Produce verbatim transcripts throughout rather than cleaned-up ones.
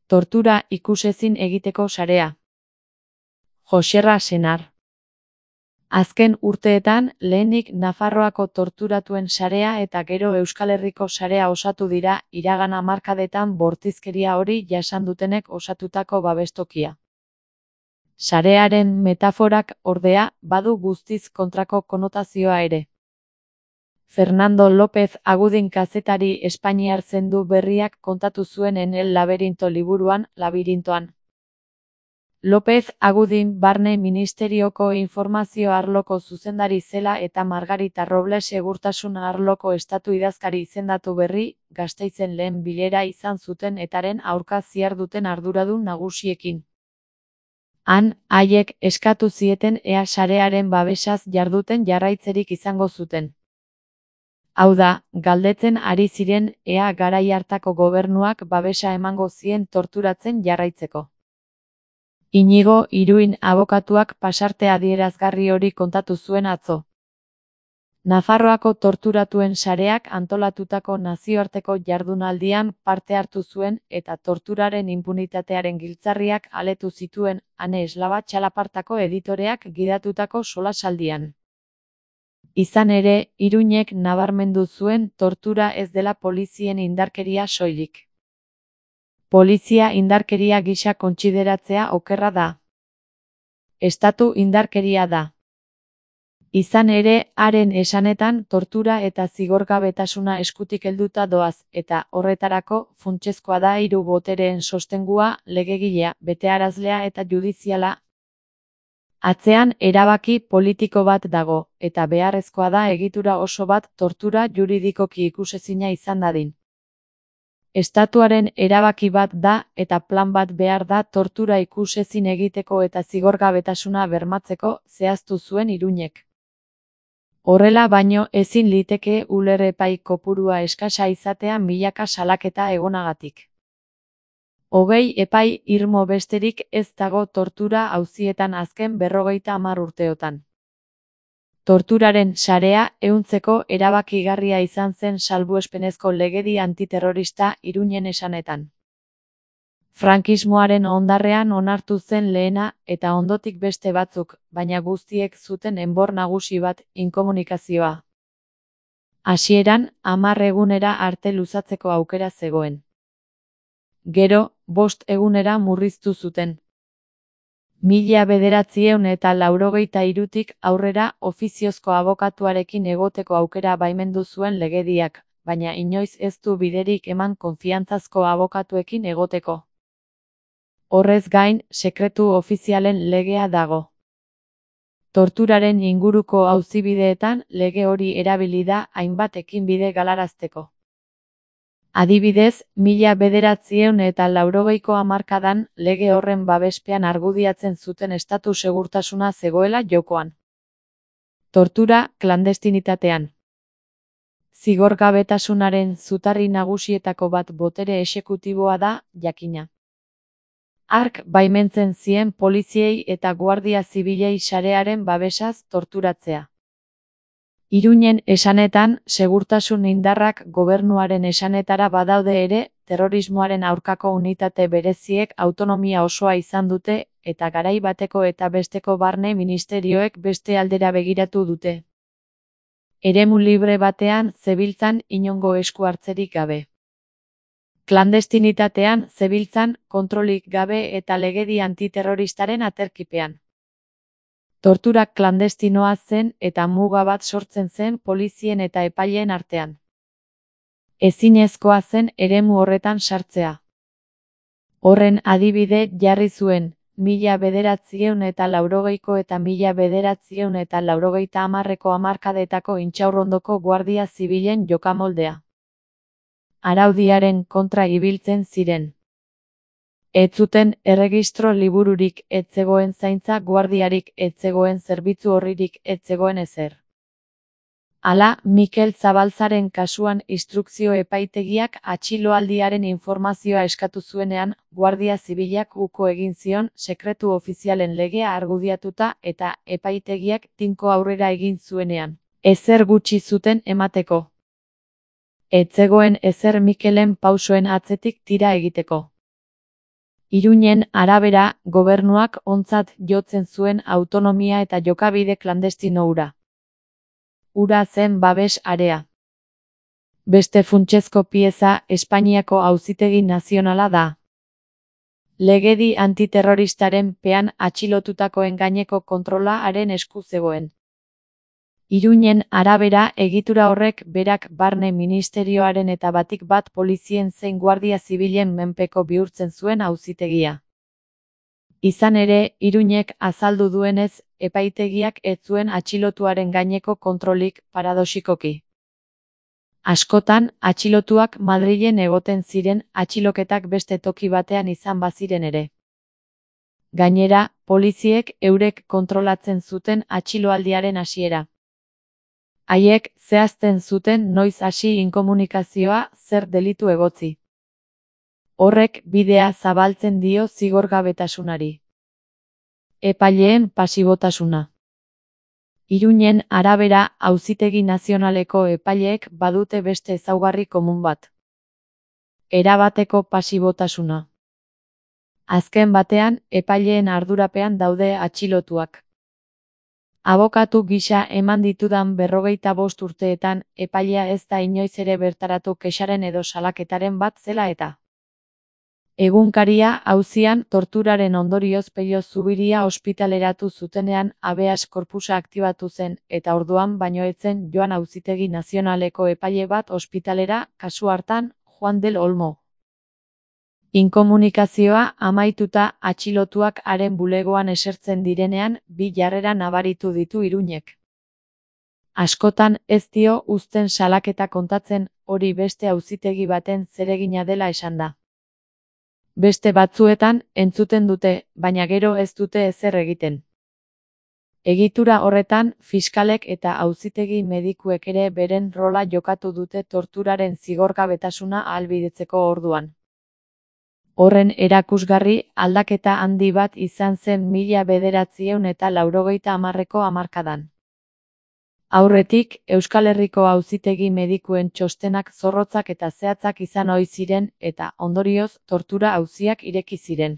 Tortura ikusezin egiteko sarea. Joxerra Senar. Azken urteetan, lehenik Nafarroako torturatuen sarea eta gero Euskal Herriko sarea osatu dira iragan hamarkadetan bortizkeria hori jasan dutenek osatutako babestokia. Sarearen metaforak, ordea, badu guztiz kontrako konotazioa ere. Fernando López Agudin kazetari espainiar zendu berriak kontatu zuen en El Laberinto liburuan, Labirintoan. López Agudin Barne Ministerioko informazio arloko zuzendari zela eta Margarita Robles segurtasun arloko estatu idazkari izendatu berri, Gasteizen lehen bilera izan zuten etaren aurka ziharduten arduradun nagusiekin. Han, haiek eskatu zieten ea sarearen babesaz jarduten jarraitzerik izango zuten. Hau da, galdetzen ari ziren ea garai hartako gobernuak babesa emango zien torturatzen jarraitzeko. Inigo Iruin abokatuak pasarte adierazgarri hori kontatu zuen atzo. Nafarroako torturatuen sareak antolatutako nazioarteko jardunaldian parte hartu zuen eta torturaren inpunitatearen giltzarriak aletu zituen Ane Eslaba Txalapartako editoreak gidatutako solasaldian. Izan ere, Iruinek nabarmendu zuen tortura ez dela polizien indarkeria soilik. Polizia indarkeria gisa kontsideratzea okerra da. Estatu indarkeria da. Izan ere, haren esanetan tortura eta zigorgabetasuna eskutik helduta doaz, eta horretarako funtsezkoa da hiru botereen sostengua, legegilea, betearazlea eta judiziala. Atzean erabaki politiko bat dago, eta beharrezkoa da egitura oso bat tortura juridikoki ikusezina izan dadin. Estatuaren erabaki bat da eta plan bat behar da tortura ikusezin egiteko eta zigorgabetasuna bermatzeko, zehaztu zuen Iruinek. Horrela baino ezin liteke uler epai kopurua eskasa izatea milaka salaketa egonagatik. Hogei epai irmo besterik ez dago tortura auzietan azken berrogeita hamar urteotan. Torturaren sarea ehuntzeko erabakigarria izan zen salbuespenezko legedi antiterrorista Iruinen esanetan. Frankismoaren ondarrean onartu zen lehena eta ondotik beste batzuk, baina guztiek zuten enbor nagusi bat, inkomunikazioa. Hasieran, hamar egunera arte luzatzeko aukera zegoen. Gero, bost egunera murriztu zuten. Mila bederatziehun eta laurogeita hirutik aurrera ofiziozko abokatuarekin egoteko aukera baimendu zuen legediak, baina inoiz ez du biderik eman konfiantzazko abokatuekin egoteko. Horrez gain, sekretu ofizialen legea dago. Torturaren inguruko auzibideetan lege hori erabili da hainbat ekinbide galarazteko. Adibidez, mila bederatziehun eta laurogeiko hamarkadan lege horren babespean argudiatzen zuten estatu segurtasuna zegoela jokoan. Tortura klandestinitatean. Zigorgabetasunaren zutarri nagusietako bat botere exekutiboa da, jakina. Hark baimentzen zien poliziei eta guardia zibilei sarearen babesaz torturatzea. Iruinen esanetan, segurtasun indarrak gobernuaren esanetara badaude ere, terrorismoaren aurkako unitate bereziek autonomia osoa izan dute, eta garai bateko eta besteko barne ministerioek beste aldera begiratu dute. Eremu libre batean zebiltzan inongo esku hartzerik gabe. Klandestinitatean zebiltzan kontrolik gabe eta legedi antiterroristaren aterkipean. Torturak klandestinoa zen eta muga bat sortzen zen polizien eta epaileen artean. Ezinezkoa zen eremu horretan sartzea. Horren adibide jarri zuen, mila bederatziehun eta laurogeiko eta mila bederatziehun eta laurogeita hamarreko hamarkadetako intxaurrondoko guardia zibilen jokamoldea. Araudiaren kontra ibiltzen ziren. Ez zuten erregistro libururik, ez zegoen zaintza guardiarik, ez zegoen zerbitzu horririk, ez zegoen ezer. Hala, Mikel Zabaltzaren kasuan instrukzio epaitegiak atxiloaldiaren informazioa eskatu zuenean, Guardia Zibilak uko egin zion sekretu ofizialen legea argudiatuta eta epaitegiak tinko aurrera egin zuenean. Ezer gutxi zuten emateko. Ez zegoen ezer Mikelen pausoen atzetik tira egiteko. Iruñen arabera, gobernuak ontzat jotzen zuen autonomia eta jokabide klandestino hura. Hura zen babes area. Beste funtsezko pieza Espainiako Auzitegi Nazionala da. Legedi antiterroristaren pean atxilotutakoen gaineko kontrola haren esku zegoen. Iruñen arabera egitura horrek berak barne ministerioaren eta batik bat polizien zein guardia zibilen menpeko bihurtzen zuen auzitegia. Izan ere, Iruñek azaldu duenez, epaitegiak ez zuen atxilotuaren gaineko kontrolik paradoxikoki. Askotan, atxilotuak Madrilen egoten ziren atxiloketak beste toki batean izan baziren ere. Gainera, poliziek eurek kontrolatzen zuten atxiloaldiaren hasiera. Haiek zehazten zuten noiz hasi inkomunikazioa zer delitu egotzi. Horrek bidea zabaltzen dio zigorgabetasunari. Epaileen pasibotasuna. Iruñen arabera Auzitegi Nazionaleko epaileek badute beste ezaugarri komun bat. Erabateko pasibotasuna. Azken batean, epaileen ardurapean daude atxilotuak. Abokatu gisa eman ditudan berrogeita bost urteetan, epailea ez da inoiz ere bertaratu kexaren edo salaketaren bat zela eta. Egunkaria auzian torturaren ondorioz Pello Zubiria ospitaleratu zutenean habeas corpusa aktibatu zen, eta orduan baino ez zen joan Auzitegi Nazionaleko epaile bat ospitalera, kasu hartan, Juan del Olmo. Inkomunikazioa amaituta atxilotuak haren bulegoan esertzen direnean, bi jarrera nabaritu ditu Iruñek. Askotan ez dio uzten salaketa kontatzen, hori beste auzitegi baten zeregina dela esan da. Beste batzuetan, entzuten dute, baina gero ez dute ezer egiten. Egitura horretan, fiskalek eta auzitegi medikuek ere beren rola jokatu dute torturaren zigorgabetasuna ahalbidetzeko orduan. Horren erakusgarri, aldaketa handi bat izan zen mila bederatziehun eta laurogeita hamarreko hamarkadan. Aurretik, Euskal Herriko auzitegi medikuen txostenak zorrotzak eta zehatzak izan ohi ziren eta, ondorioz, tortura auziak ireki ziren.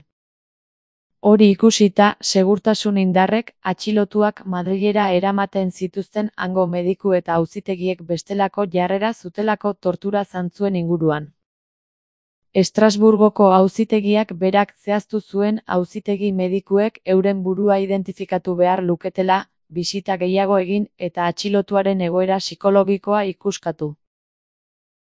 Hori ikusita, segurtasun indarrek atxilotuak Madrilera eramaten zituzten hango mediku eta auzitegiek bestelako jarrera zutelako tortura zantzuen inguruan. Estrasburgoko auzitegiak berak zehaztu zuen auzitegi medikuek euren burua identifikatu behar luketela, bisita gehiago egin eta atxilotuaren egoera psikologikoa ikuskatu.